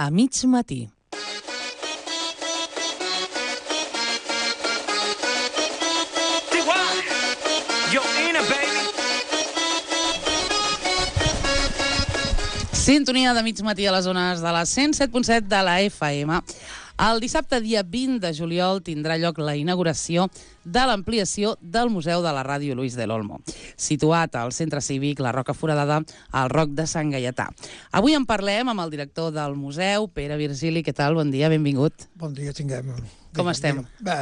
a mig matí. Sintonia de mig matí a les zones de la 107.7 de la FM. El dissabte, dia 20 de juliol, tindrà lloc la inauguració de l'ampliació del Museu de la Ràdio Luis del Olmo, situat al Centre Cívic La Roca Foradada, al Roc de Sant Gaietà. Avui en parlem amb el director del museu, Pere Virgili. Què tal? Bon dia, benvingut. Bon dia, tinguem. Com estem? Bé,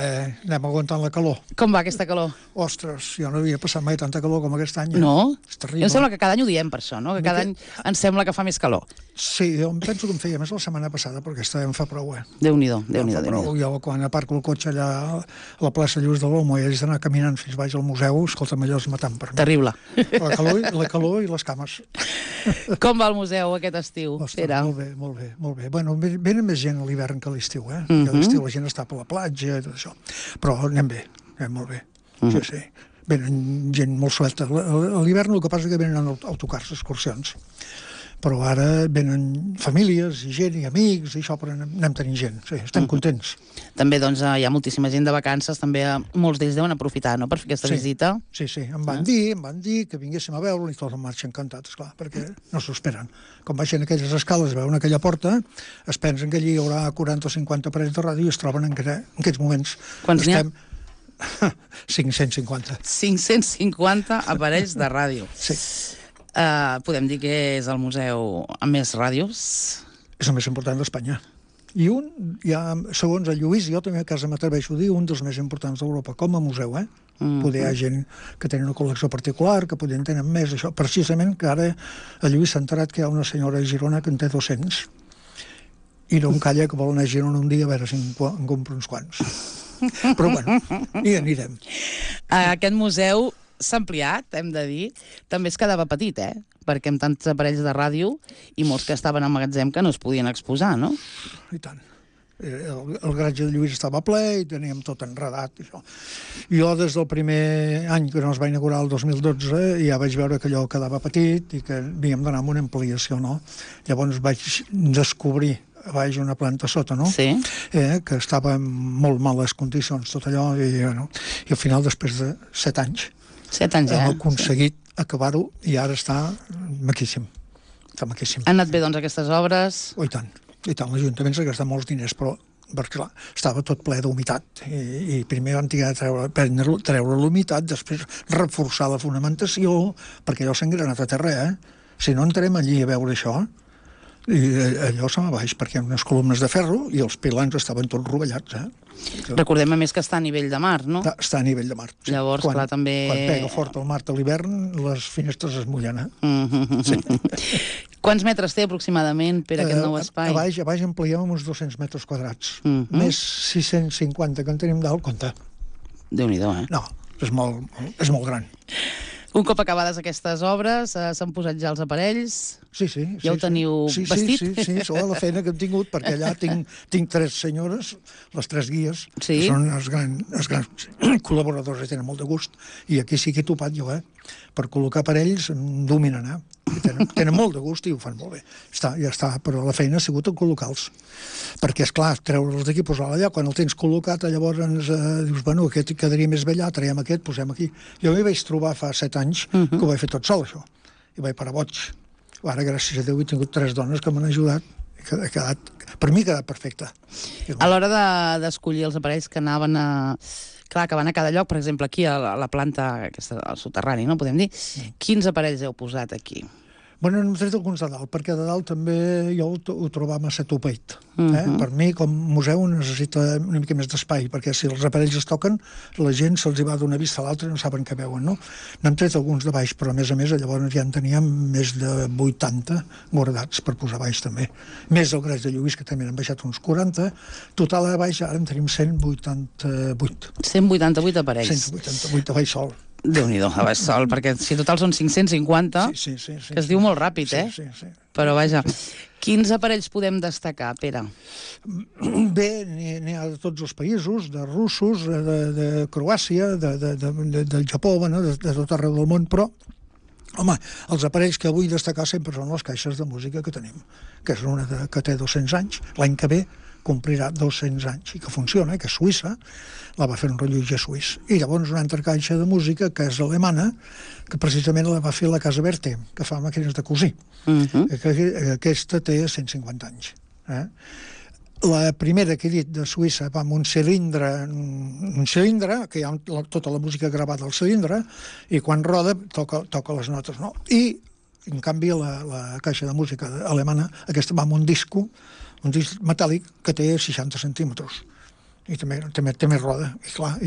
anem aguantant la calor. Com va aquesta calor? Ostres, jo no havia passat mai tanta calor com aquest any. No? És terrible. Em sembla que cada any ho diem per això, no? Que cada any ens sembla que fa més calor. Sí, jo em penso que em feia més la setmana passada, perquè aquesta em fa prou, Déu-n'hi-do, Déu-n'hi-do. Jo quan aparco el cotxe allà a la plaça Lluís de l'Olmo i haig d'anar caminant fins baix al museu, escolta'm, allò és matant per mi. Terrible. La calor i les cames. Com va el museu aquest estiu, Ostres, Pere? molt bé. Bueno, venen més gent a l'hivern que a l'estiu, que a l'estiu la gent està per la platja i tot això. Però anem bé, anem molt bé. Sí. Venen gent molt suelta. A l'hivern el que passa és que venen autocars, excursions. Però ara venen famílies i gent i amics i això, però anem tenint gent. Sí, estem contents. També, doncs, hi ha moltíssima gent de vacances, també molts d'ells deuen aprofitar, no?, per fer aquesta visita. Sí, em van dir que vinguéssim a veure i tots em marxen encantats, esclar, perquè no s'ho esperen. Quan baixen aquelles escales, veuen aquella porta, es pensen que allí hi haurà 40 o 50 aparells de ràdio i es troben en aquests moments. Quants n'hi ha? 550. 550 aparells de ràdio. Sí. Podem dir que és el museu amb més ràdios? És el més important d'Espanya. I segons el Lluís, jo també a casa m'atreveixo a dir, un dels més importants d'Europa com a museu, Poder hi ha gent que tenen una col·lecció particular, que poder en tenen més, això. Precisament que ara el Lluís s'ha enterat que hi ha una senyora a Girona que en té 200 i no em calla que vol anar a Girona un dia a veure si en compro uns quants. Però bueno, hi anirem. Aquest museu s'ha ampliat, hem de dir. També es quedava petit, perquè amb tants aparells de ràdio i molts que estaven al magatzem que no es podien exposar, no? I tant. El garatge de Lluís estava ple i teníem tot enredat. Això. Jo, des del primer any que no es va inaugurar, el 2012, ja vaig veure que allò quedava petit i que havíem d'anar amb una ampliació, no? Llavors vaig descobrir a baix una planta sota, no? Sí. Que estava en molt males condicions, tot allò, i al final, després de 7 anys, 7 anys, hem aconseguit acabar-ho i ara està maquíssim. Està maquíssim. Han anat bé, doncs, aquestes obres? Oh, i tant. L'Ajuntament s'ha gastat molts diners, però perquè, clar, estava tot ple d'humitat i primer van treure l'humitat, després reforçar la fonamentació, perquè allò s'ha engranat a terra, Si no entrem allí a veure això, i allò se va baix, perquè hi ha unes columnes de ferro i els pilans estaven tots rovellats, Recordem, a més, que està a nivell de mar, no? Està a nivell de mar. Sí. Llavors, clar, també... Quan pega fort el mar a l'hivern, les finestres es mullen, Sí. Quants metres té aproximadament per aquest nou espai? A baix ampliem uns 200 metres quadrats. Més 650 que en tenim dalt, compte. Déu-n'hi-do, No, és molt gran. Un cop acabades aquestes obres, s'han posat ja els aparells? Sí. Ja ho teniu vestit? Sí, sobre la feina que hem tingut, perquè allà tinc 3 senyores, les 3 guies, que són els grans col·laboradors i tenen molt de gust, i aquí sí que he topat jo, per col·locar aparells dominen, tenen molt de gust i ho fan molt bé. Ja està, però la feina ha sigut en col·locar-los. Perquè, esclar, treure'ls d'aquí, posar-los allà, quan el tens col·locat, llavors dius, bueno, aquest quedaria més bé allà, traiem aquest, posem aquí. Jo m'hi vaig trobar fa 7 anys que ho vaig fer tot sol, això, i vaig parar boig. Ara, gràcies a Déu, he tingut 3 dones que m'han ajudat i per mi ha quedat perfecte. A l'hora d'escollir els aparells que anaven a... Clar, que van a cada lloc, per exemple, aquí a la planta, aquesta, al soterrani, no podem dir? Quins aparells heu posat aquí? Bueno, n'hem tret alguns de dalt, perquè de dalt també jo ho trobava massa topeit. Per mi, com a museu, necessita una mica més d'espai, perquè si els aparells es toquen, la gent se'ls va d'una vista a l'altra i no saben què veuen, no? N'hem tret alguns de baix, però a més, llavors ja en teníem més de 80 guardats per posar baix també. Més el Gres de Lluís, que també n'han baixat uns 40. Total, a baix ara en tenim 188. 188 aparells. 188 a baix sol. Déu-n'hi-do, a baix sol, perquè si total són 550, que es diu molt ràpid, Sí. Però vaja, quins aparells podem destacar, Pere? Bé, n'hi ha de tots els països, de russos, de Croàcia, del Japó, de tot arreu del món, però Home, els aparells que vull destacar sempre són les caixes de música que tenim, que és una que té 200 anys, l'any que ve complirà 200 anys, i que funciona, que és suïssa, la va fer un rellotger suís. I llavors una altra caixa de música, que és alemana, que precisament la va fer la Casa Berthe, que fa màquines de cosir. Aquesta té 150 anys. La primera que he dit de Suïssa va amb un cilindre, que hi ha tota la música gravada al cilindre, i quan roda toca les notes, no? I, en canvi, la caixa de música alemana, aquesta va amb un disc metàl·lic que té 60 centímetres. I també roda, i clar,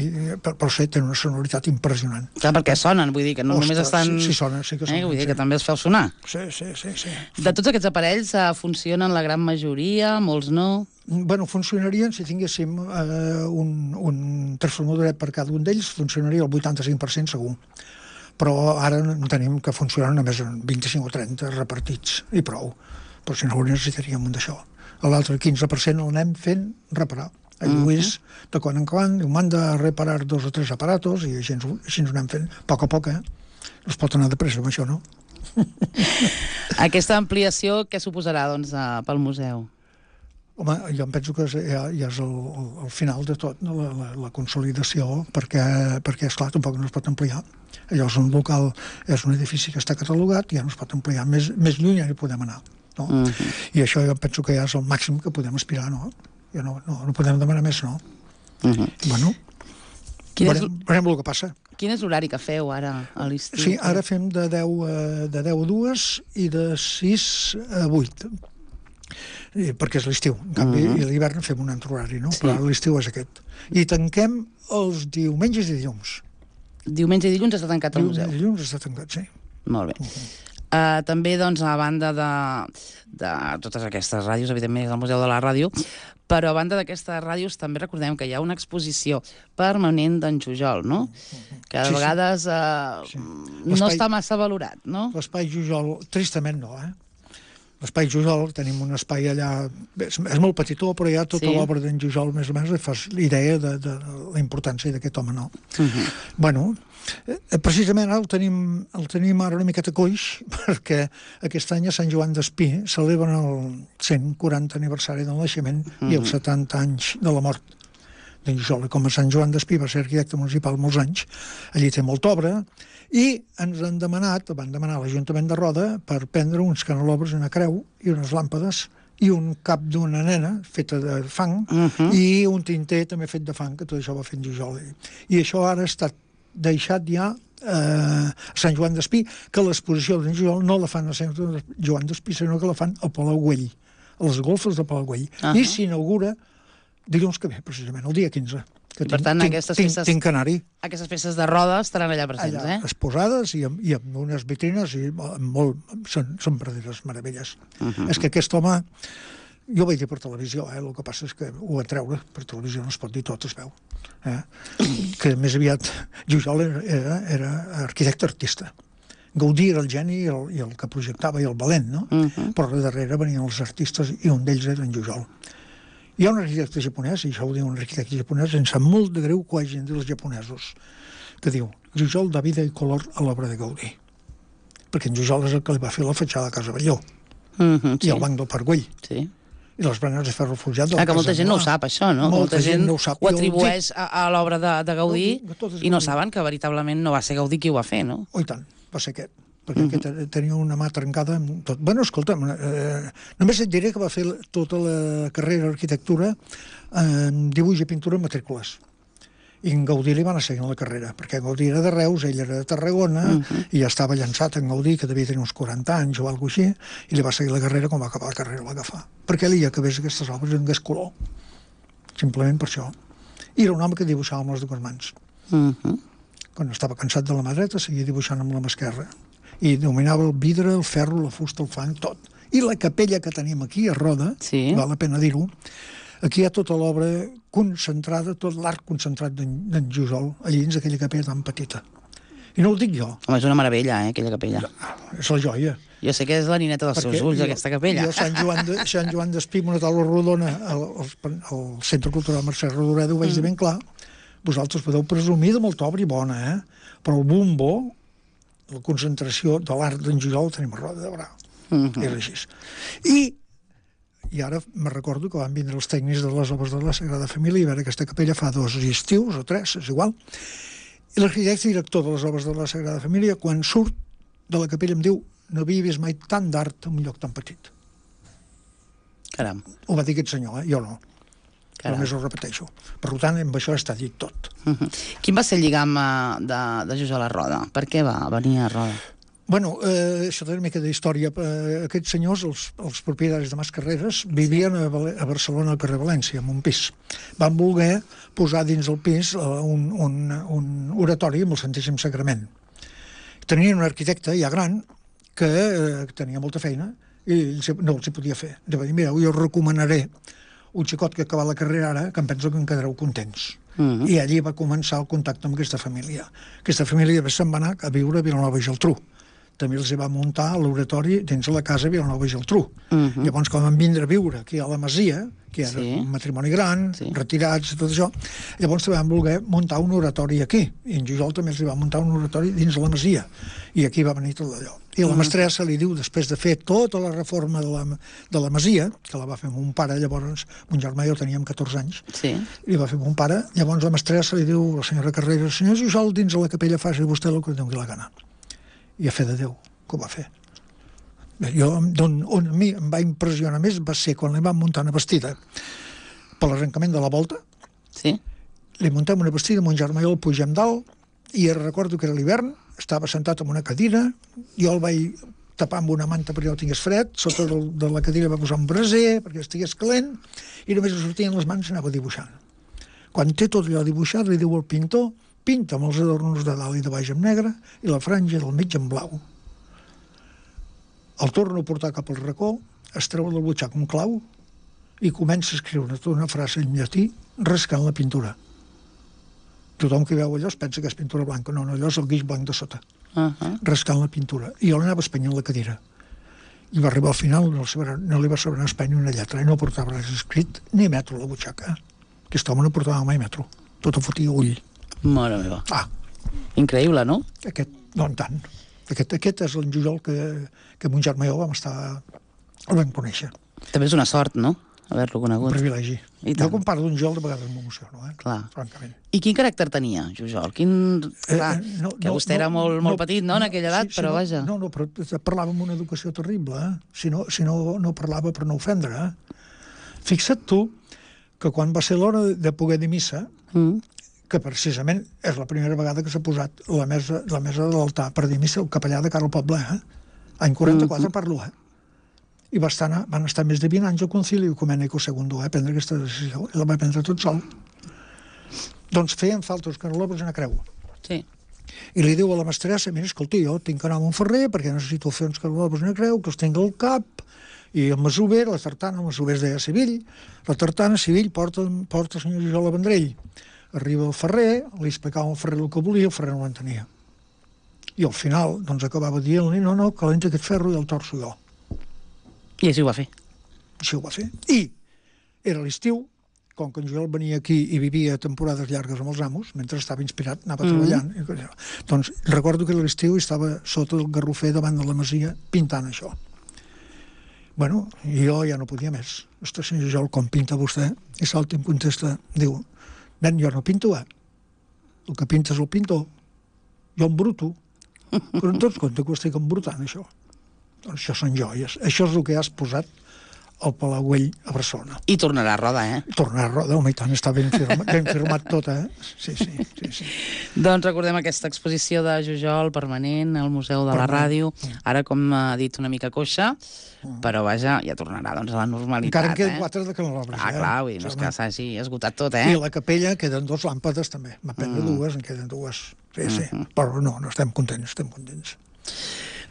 per ser té una sonoritat impressionant. Clar, perquè sonen, vull dir que no només estan... Sí, sonen, sí que sonen. Vull dir que també els feu sonar. Sí. De tots aquests aparells funcionen la gran majoria, molts no? Bueno, funcionarien, si tinguéssim un transformadoret per cada un d'ells, funcionaria el 85% segur. Però ara en tenim que funcionen només 25 o 30 repartits, i prou. Però si no ho necessitaríem un d'això. L'altre 15% l'anem fent reparar. El Lluís, de quan en quan, m'han de reparar 2 o 3 aparatos, i així ho anem fent, a poc, No es pot anar de pressa amb això, no? Aquesta ampliació, què suposarà, doncs, pel museu? Home, jo em penso que ja és el final de tot, no? La consolidació, perquè esclar, tampoc no es pot ampliar. Allò és un local, és un edifici que està catalogat, i ja no es pot ampliar. Més lluny ja hi podem anar, no? I això jo penso que ja és el màxim que podem aspirar, no? Ja no podem demanar més, no? Bueno, veurem el que passa. Quin és l'horari que feu ara a l'estiu? Sí, ara fem de 10 a 2 i de 6 a 8. Perquè és l'estiu. En canvi, a l'hivern fem un altre horari, no? Però l'estiu és aquest. I tanquem els diumenges i dilluns. Diumenge i dilluns està tancat el museu? Dilluns està tancat, sí. Molt bé. També, doncs, a banda de totes aquestes ràdios, evidentment és el Museu de la Ràdio, però a banda d'aquestes ràdios també recordem que hi ha una exposició permanent d'en Jujol, no? Que de vegades no està massa valorat, no? L'espai Jujol, tristament no, L'espai Jujol, tenim un espai allà, és molt petitó, però hi ha tota l'obra d'en Jujol, més o menys, i fas idea de la importància d'aquest home, no? Bueno, precisament el tenim ara una miqueta coix, perquè aquest any a Sant Joan d'Espí celebren el 140 aniversari del naixement i els 70 anys de la mort d'en Jujol. Com a Sant Joan d'Espí va ser arquitecte municipal molts anys, allí té molta obra, i ens van demanar a l'Ajuntament de Roda per prendre uns canelobres, una creu i unes làmpades i un cap d'una nena feta de fang i un tinter també fet de fang, que tot això va fer en Jujol. I això ara ha estat deixat ja a Sant Joan d'Espí, que l'exposició d'en Jujol no la fan a Sant Joan d'Espí, sinó que la fan al Palau Güell, a les golfes del Palau Güell. I s'inaugura dilluns que ve, precisament, el dia 15. Per tant, aquestes peces de Roda estaran allà presents, allà, exposades i amb unes vitrines, i són verdaderes meravelles. És que aquest home, jo ho vaig dir per televisió, el que passa és que ho van treure, per televisió no es pot dir tot, es veu. Que més aviat Jujol era arquitecte artista. Gaudí era el geni i el que projectava i el valent, no? Però darrere venien els artistes i un d'ells era en Jujol. Hi ha un arquitecte japonès, i això ho diu un arquitecte japonès, em sap molt de greu que ho hagin dit els japonesos, que diu, Jujol da vida i color a l'obra de Gaudí. Perquè en Jujol és el que li va fer la fatxada de Casa Batlló, i el banc del Parc Güell, i les branes de ferro forjat de la Casa que molta gent no ho sap, això, no? Molta gent ho atribueix a l'obra de Gaudí i no saben que veritablement no va ser Gaudí qui ho va fer, no? Oh, i tant, va ser aquest. Perquè aquest tenia una mà trencada amb tot. Bueno, escolta'm, només et diré que va fer tota la carrera d'arquitectura en dibuix i pintura en matrícules. I en Gaudí li van a seguir la carrera, perquè Gaudí era de Reus, ell era de Tarragona, i ja estava llançat en Gaudí, que devia tenir uns 40 anys o alguna cosa així, i li va seguir la carrera, quan va acabar la carrera va agafar. Perquè ell acabés aquestes obres en donés color. Simplement per això. I era un home que dibuixava amb les dues mans. Quan estava cansat de la mà dreta, seguia dibuixant amb la mà esquerra. I dominava el vidre, el ferro, la fusta, el fang, tot. I la capella que tenim aquí a Roda, val la pena dir-ho, aquí hi ha tota l'obra concentrada, tot l'art concentrat d'en Jujol, allí dins d'aquella capella tan petita. I no ho dic jo. Home, és una meravella, aquella capella. És la joia. Jo sé que és la nineta dels seus ulls, aquesta capella. Jo a Sant Joan d'Espí, una taula rodona, al Centre Cultural Mercè Rodoreda, ho vaig dir ben clar, vosaltres podeu presumir de molta obra i bona, però el bombo, la concentració de l'art d'en Jujol tenim a Roda de Berà. Era així. I ara me recordo que van vindre els tècnics de les obres de la Sagrada Família i veure aquesta capella fa 2 estius o 3, és igual. I l'arquitecte director de les obres de la Sagrada Família, quan surt de la capella, em diu: no havia vist mai tant d'art en un lloc tan petit. Caram. Ho va dir aquest senyor, jo no. Només ho repeteixo. Per tant, amb això està dit tot. Quin va ser el lligam de Jujol a Roda? Per què va venir a Roda? Bueno, això té una mica d'història. Aquests senyors, els propietaris de Mascarreres, vivien a Barcelona, al carrer València, en un pis. Van voler posar dins el pis un oratori amb el Santíssim Sagrament. Tenien un arquitecte ja gran que tenia molta feina i no els hi podia fer. De dir, mira, jo recomanaré un xicot que acaba la carrera ara, que em penso que en quedareu contents. I allí va començar el contacte amb aquesta família. Aquesta família se'n va anar a viure a Vilanova i Geltrú. També els va muntar l'oratori dins de la casa a Vilanova i Geltrú. Llavors, quan van vindre a viure aquí a la Masia, que era un matrimoni gran, retirats i tot això, llavors també van voler muntar un oratori aquí. I en Jujol també els va muntar un oratori dins de la Masia. I aquí va venir tot allò. I la mestressa li diu, després de fer tota la reforma de la Masia, que la va fer mon pare, llavors, mon germà i jo teníem 14 anys, li va fer mon pare, llavors la mestressa li diu a la senyora Carreras: senyor Jujol, dins de la capella faci vostè el que doni la gana. I a fe de Déu, que ho va fer. On a mi em va impressionar més va ser quan li van muntar una vestida per l'arrencament de la volta. Li muntem una vestida, mon germà i jo el pugem dalt, i recordo que era l'hivern, estava sentat en una cadira, jo el vaig tapar amb una manta perquè no tingués fred, sota de la cadira va posar un braser perquè estigués calent, i només li sortien les mans i anava dibuixant. Quan té tot allò dibuixat, li diu al pintor: pinta amb els adornos de dalt i de baix en negre i la franja del mig en blau. El torna a portar cap al racó, es treu del butxac un clau i comença a escriure tota una frase en llatí rascant la pintura. Tothom que veu allò es pensa que és pintura blanca. No, allò és el guix blanc de sota. Rascant la pintura. I jo l'anava espenyant la cadira. I va arribar al final, no li va saber espanyar una lletra, i no portava res escrit ni metro a la butxaca. Aquest home no portava mai metro. Tot ho fotia ull. Mare meva. Increïble, no? No en tant. Aquest és el Jujol que mon germà i jo el vam conèixer. També és una sort, no?, haver-lo conegut. Un privilegi. Jo quan parlo d'un Jujol de vegades m'emociono, francament. I quin caràcter tenia, Jujol? Que vostè era molt petit, no?, en aquella edat, però vaja. No, però parlava amb una educació terrible, si no parlava per no ofendre. Fixa't tu que quan va ser l'hora de poder dir missa, que precisament és la primera vegada que s'ha posat la mesa de l'altar per dir missa el capellà de cara al poble, any 44 parlo, i van estar més de 20 anys al concili ecumènic II a prendre aquesta decisió, i la va prendre tot sol. Doncs feien falta els canelobres i una creu. I li diu a la mestressa: mira, escolti, jo tinc que anar a Montferrer perquè necessito fer uns canelobres i una creu, que els tinc al cap, i el masover, la tartana, el masover es deia Sivill, la tartana Sivill porta el senyor Jujol a Vendrell. Arriba el ferrer, li explicava al ferrer el que volia, el ferrer no l'entenia. I al final, doncs, acabava dient-li: no, calenta aquest ferro i el torço jo. I així ho va fer. Així ho va fer. I era l'estiu, com que en Jujol venia aquí i vivia temporades llargues amb els amos, mentre estava inspirat, anava treballant. Doncs recordo que a l'estiu estava sota el garrofer davant de la masia pintant això. Bueno, i jo ja no podia més. Ostres, senyor Jujol, com pinta vostè? I salta i em contesta, diu: nen, jo no pinto, el que pinta és el pintor. Jo embruto. Però en tots compte que ho estic embrutant, això. Doncs això són joies. Això és el que has posat al Palauell a Barcelona. I tornarà a Roda, Tornarà a Roda, home, i tant, està ben firmat tot, Sí. Doncs recordem aquesta exposició de Jujol permanent al Museu de la Ràdio. Ara, com ha dit, una mica coixa, però vaja, ja tornarà doncs, a la normalitat. Encara en queden 4 de canelobres. Clar, no és que s'hagi esgotat tot, I a la capella queden 2 làmpades, també. M'ha prendre 2, en queden 2. Sí. Però no, estem contents.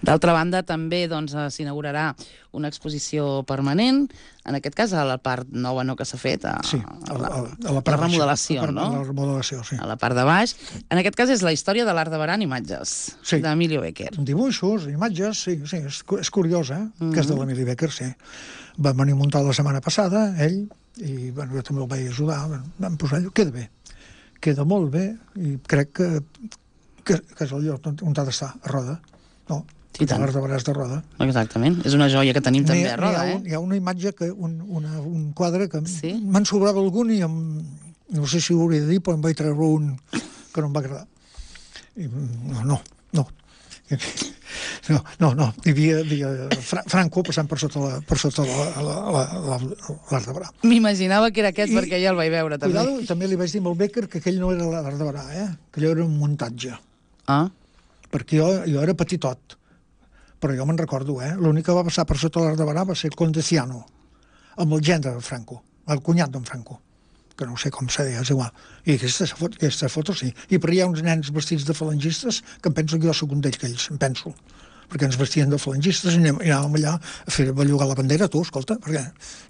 D'altra banda, també s'inaugurarà una exposició permanent, en aquest cas a la part nova que s'ha fet, a la remodelació, no? A la remodelació, sí. A la part de baix. En aquest cas és la història de l'art de Berà en imatges, d'Emilio Becker. Dibuixos, imatges, sí, és curiós, que és de l'Emili Becker, sí. Va venir a muntar la setmana passada, ell, i jo també el vaig ajudar, vam posar allò, queda molt bé, i crec que és el lloc on ha d'estar, a Roda. no. L'Arc de Barà és de Roda. Exactament, és una joia que tenim també a Roda, Hi ha una imatge, un quadre que me'n sobrava algun i no sé si ho hauria de dir, però em vaig treure un que no em va agradar. No. Hi havia Franco passant per sota l'Arc de Barà. M'imaginava que era aquest perquè ja el vaig veure, també. Cuidado, també li vaig dir amb el Becker que aquell no era l'Arc de Barà, que allò era un muntatge. Perquè jo era petitot, però jo me'n recordo, l'únic que va passar per sota l'Arc de Barà va ser el Condeciano, amb el gendre de Franco, el cunyat d'en Franco, que no sé com se deia, és igual. I aquesta foto sí. I per hi ha uns nens vestits de falangistes que em penso que jo soc un d'ells, em penso. Perquè ens vestien de falangistes i anàvem allà a fer bellugar la bandera, tu, escolta, perquè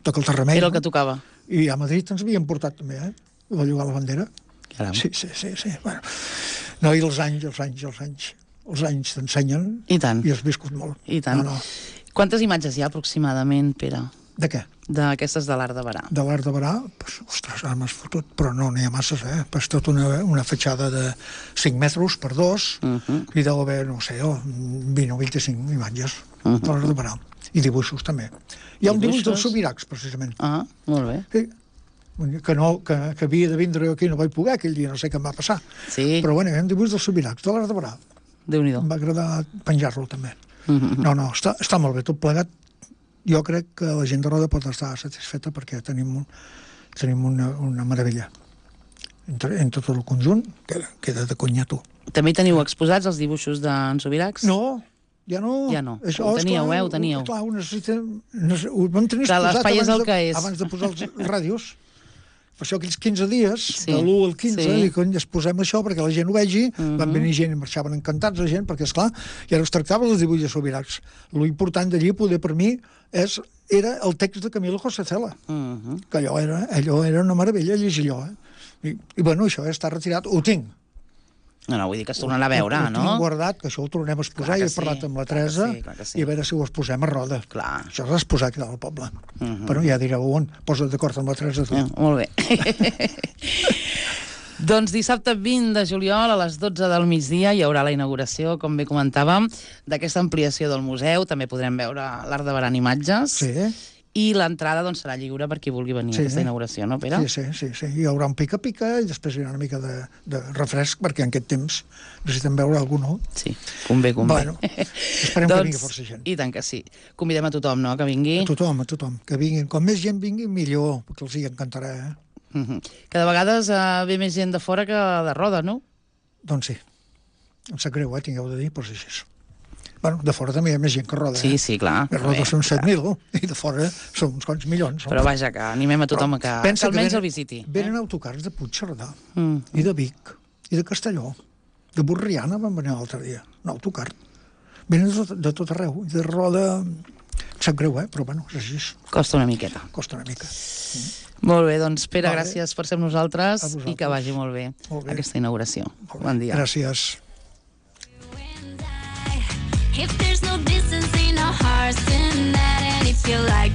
toca el terremell. Era el que tocava. I a Madrid ens havien portat també, a bellugar la bandera. Caram. Sí. Bueno. No, i els anys t'ensenyen. I tant. I has viscut molt. I tant. Quantes imatges hi ha aproximadament, Pere? De què? D'aquestes de l'Arc de Barà. De l'Arc de Barà? Ostres, ara m'has fotut, però no n'hi ha masses, És tota una fatxada de 5 metres per 2 i deu haver, no sé, 20 o 25 imatges de l'Arc de Barà. I dibuixos, també. Hi ha un dibuix dels Subirachs, precisament. Molt bé. Sí. Que havia de vindre aquí, no vaig poder aquell dia, no sé què em va passar. Sí. Però bueno, hi ha un dibuix dels Subirachs, de l'Arc de Barà. Déu-n'hi-do. Em va agradar penjar-lo, també. No, està molt bé, tot plegat. Jo crec que la gent de Roda pot estar satisfeta perquè tenim una meravella. En tot el conjunt queda de conyato. També teniu exposats els dibuixos d'en Subirachs? No, ja no. Ho teníeu, ho teníeu. Clar, ho vam tenir l'espai és el que és. Abans de posar els ràdios. Per això aquells 15 dies, de l'1 al 15, i cony, es posem això perquè la gent ho vegi, van venir gent i marxaven encantats la gent, perquè, esclar, i ara es tractava dels dibuixos de Subirachs. Lo important d'allí, poder per mi, era el text de Camilo José Cela, que allò era una meravella llegir allò. I bueno, això ja està retirat, ho tinc. No, vull dir que es tornarà a veure, no? Ho tinc guardat, que això ho tornem a exposar, i he parlat amb la Teresa, i a veure si ho exposem a Roda. Clar. Això s'ha exposat aquí al poble. Però ja direu on, posa't d'acord amb la Teresa tu. Molt bé. Doncs dissabte 20 de juliol a les 12 del migdia hi haurà la inauguració, com bé comentàvem, d'aquesta ampliació del museu. També podrem veure l'Arc de Barà en imatges. Sí. I l'entrada serà lliure per qui vulgui venir a aquesta inauguració, no, Pere? Sí. Hi haurà un pica-pica i després hi haurà una mica de refresc, perquè en aquest temps necessitem veure algú nou. Sí, convé. Bueno, esperem que vingui força gent. I tant que sí. Convidem a tothom, no?, que vingui. A tothom. Que vinguin. Com més gent vingui, millor, perquè els hi encantarà, Que de vegades ve més gent de fora que de Roda, no? Doncs sí. Em sap greu, tingueu de dir, però és així. Bueno, de fora també hi ha més gent que Roda. Sí, clar. A Roda són 7.000 i de fora són uns quants milions. Però vaja, que animem a tothom que almenys el visiti. Venen autocars de Puigcerdà, i de Vic, i de Castelló, de Borriana van venir l'altre dia, un autocar. Venen de tot arreu, i de Roda... Em sap greu, però bueno, és així. Costa una miqueta. Molt bé, doncs Pere, gràcies per ser amb nosaltres i que vagi molt bé aquesta inauguració. Bon dia. Gràcies. If there's no distance in our hearts tonight, and if you like